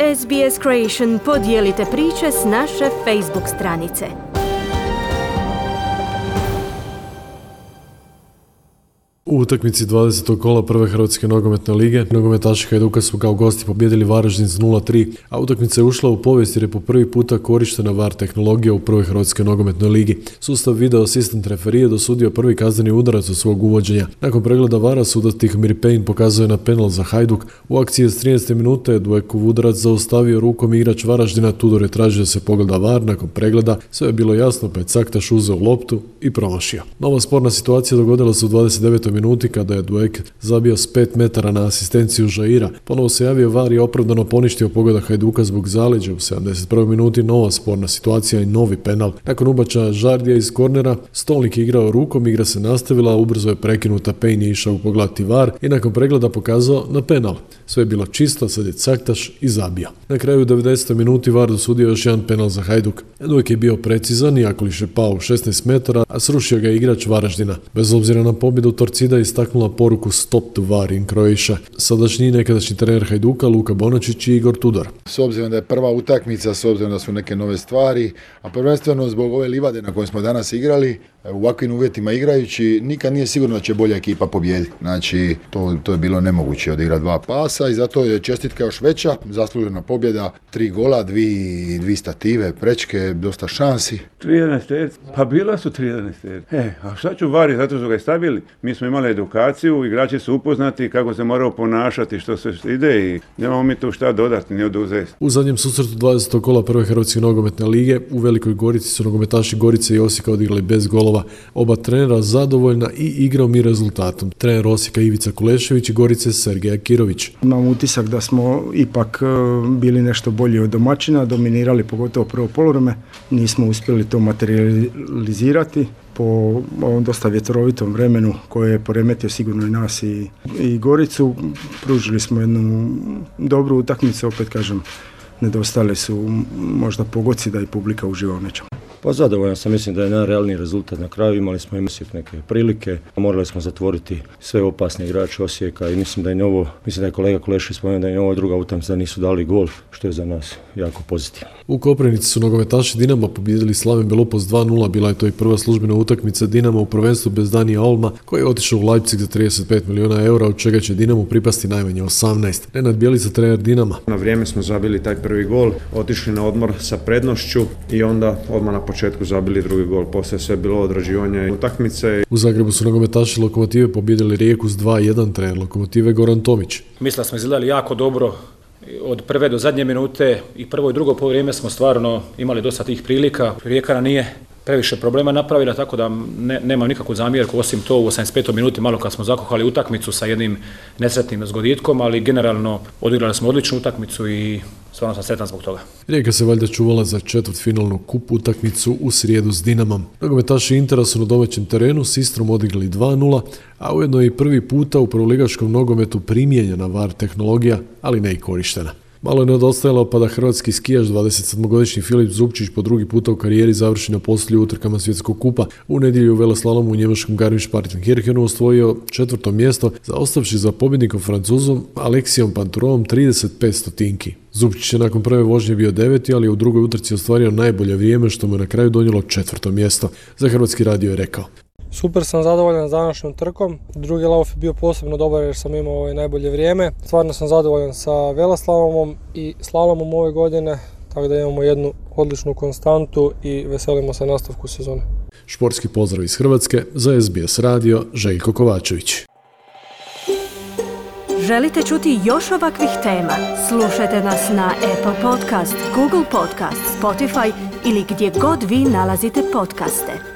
SBS Creation podijelite priče s naše Facebook stranice. U utakmici 20. kola prve Hrvatske nogometne lige nogometaši Hajduka su kao gosti pobijedili Varaždin s 0-3, a utakmica je ušla u povijest jer je po prvi puta korištena VAR tehnologija u prvoj Hrvatskoj nogometnoj ligi. Sustav video asistent referije dosudio prvi kazneni udarac od svog uvođenja. Nakon pregleda VAR-a sudac Tihomir Pejin pokazuje na penal za Hajduk. U akciji s 13. minute Dujekov udarac zaustavio rukom igrač Varaždina. Tudor je tražio da se pogleda VAR. Nakon pregleda sve je bilo jasno, pa je Caktaš uzeo loptu i promašio. Nova sporna situacija dogodila se u 29. minuti kada je Dujek zabio s 5 metara na asistenciju Žaira. Ponovo se javio VAR i opravdano poništio pogodak Hajduka zbog zaleđa. U 71. minuti nova sporna situacija i novi penal. Nakon ubačaja Žardija iz kornera, Stolnik je igrao rukom, igra se nastavila, ubrzo je prekinuta, Pejin je išao pogledati VAR i nakon pregleda pokazao na penal. Sve je bilo čisto, sad je Caktaš i zabio. Na kraju u 90. minuti VAR dosudio još jedan penal za Hajduk. Dujek je bio precizan, Jakolić je pao u 16 metara, a srušio ga igrač Varaždina. Bez obzira na pobjedu, Torcida istaknula poruku Stop to VAR in Croatia. Sadašnji i nekadašnji trener Hajduka Luka Bonačić i Igor Tudor. S obzirom da je prva utakmica, s obzirom da su neke nove stvari, a prvenstveno zbog ove livade na kojoj smo danas igrali, u ovakvim uvjetima igrajući, nikad nije sigurno da će bolja ekipa pobijediti. Znači, to je bilo nemoguće odigrati dva pasa i zato je čestitka još veća, zaslužena pobjeda, 3 gola, 2 stative, prečke, dosta šansi. 3-11, pa bila su 3-11. A šta ću VAR, zato su ga stavili. Mi smo imali edukaciju, igrači su upoznati kako se moraju ponašati, što se ide i nemamo mi tu šta dodati, ni oduzeti. U zadnjem susretu 20. kola prve Hrvatske nogometne lige u Velikoj Gorici su nogometaši Gorice i Osijeka odigrali bez golova. Oba trenera zadovoljna i igrom i rezultatom. Trener Osijeka Ivica Kulešević i Gorice Sergej Akirović. Imam utisak da smo ipak bili nešto bolji od domaćina, dominirali pogotovo prvo poluvreme. Nismo uspjeli to materializirati po ovom dosta vjetrovitom vremenu koje je poremetio sigurno i nas i Goricu. Pružili smo jednu dobru utakmicu, opet kažem, nedostale su možda pogoci da i publika uživa u nečemu. Pa zadovoljan sam, mislim da je najrealniji rezultat na kraju, imali smo neke prilike, morali smo zatvoriti sve opasne igrače Osijeka i mislim da je kolega Kulešević spomenuo da je ovo druga utakmica da nisu dali gol, što je za nas jako pozitivno. U Koprivnici su nogometaši Dinama pobijedili Slaven Belupos 2-0, bila je to i prva službena utakmica Dinama u prvenstvu bez Danija Olma, koji je otišao u Leipzig za 35 milijuna eura, od čega će Dinamu pripasti najmanje 18. Nenad Bjelica, trener Dinama. Na vrijeme smo zabili taj prvi gol, otišli na odmor sa prednošću i onda odmah na početku zabili drugi gol. Poslije sve bilo odrađivanje utakmice. U Zagrebu su nogometaši Lokomotive pobijedili Rijeku s 2-1, trener Lokomotive Goran Tomić. Mislim da smo izgledali jako dobro od prve do zadnje minute i prvo i drugo poluvreme smo stvarno imali dosta tih prilika. Rijeka nije previše problema napravila, tako da nemam nikakvu zamjerku, osim to u 85. minuti malo kad smo zakuhali utakmicu sa jednim nesretnim zgoditkom, ali generalno odigrali smo odličnu utakmicu i stvarno sam sretan zbog toga. Rijeka se valjda čuvala za četvrtfinalnu kup utakmicu u srijedu s Dinamom. Nogometaši Intera su na domaćem terenu s Istrom odigrali 2-0, a ujedno je i prvi puta u prvoligaškom nogometu primijenjena VAR tehnologija, ali ne i korištena. Malo je nedostajalo pa da hrvatski skijaš 27-godišnji Filip Zubčić po drugi puta u karijeri završi na posljednjim utrkama svjetskog kupa. U nedjelju u veleslalomu u njemačkom Garmisch-Partenkirchenu osvojio 4. mjesto, zaostavši za pobjednikom Francuzom Aleksijom Panturovom 35 stotinki. Zubčić je nakon prve vožnje bio 9. ali je u drugoj utrci ostvario najbolje vrijeme što mu je na kraju donijelo 4. mjesto. Za Hrvatski radio je rekao: Super sam zadovoljan s današnjom trkom. Drugi lauf je bio posebno dobar jer sam imao najbolje vrijeme. Stvarno sam zadovoljan sa veleslalomom i slalomom ove godine, tako da imamo jednu odličnu konstantu i veselimo se nastavku sezone. Športski pozdrav iz Hrvatske za SBS radio, Željko Kovačević. Želite čuti još ovakvih tema? Slušajte nas na Apple Podcast, Google Podcast, Spotify ili gdje god vi nalazite podcaste.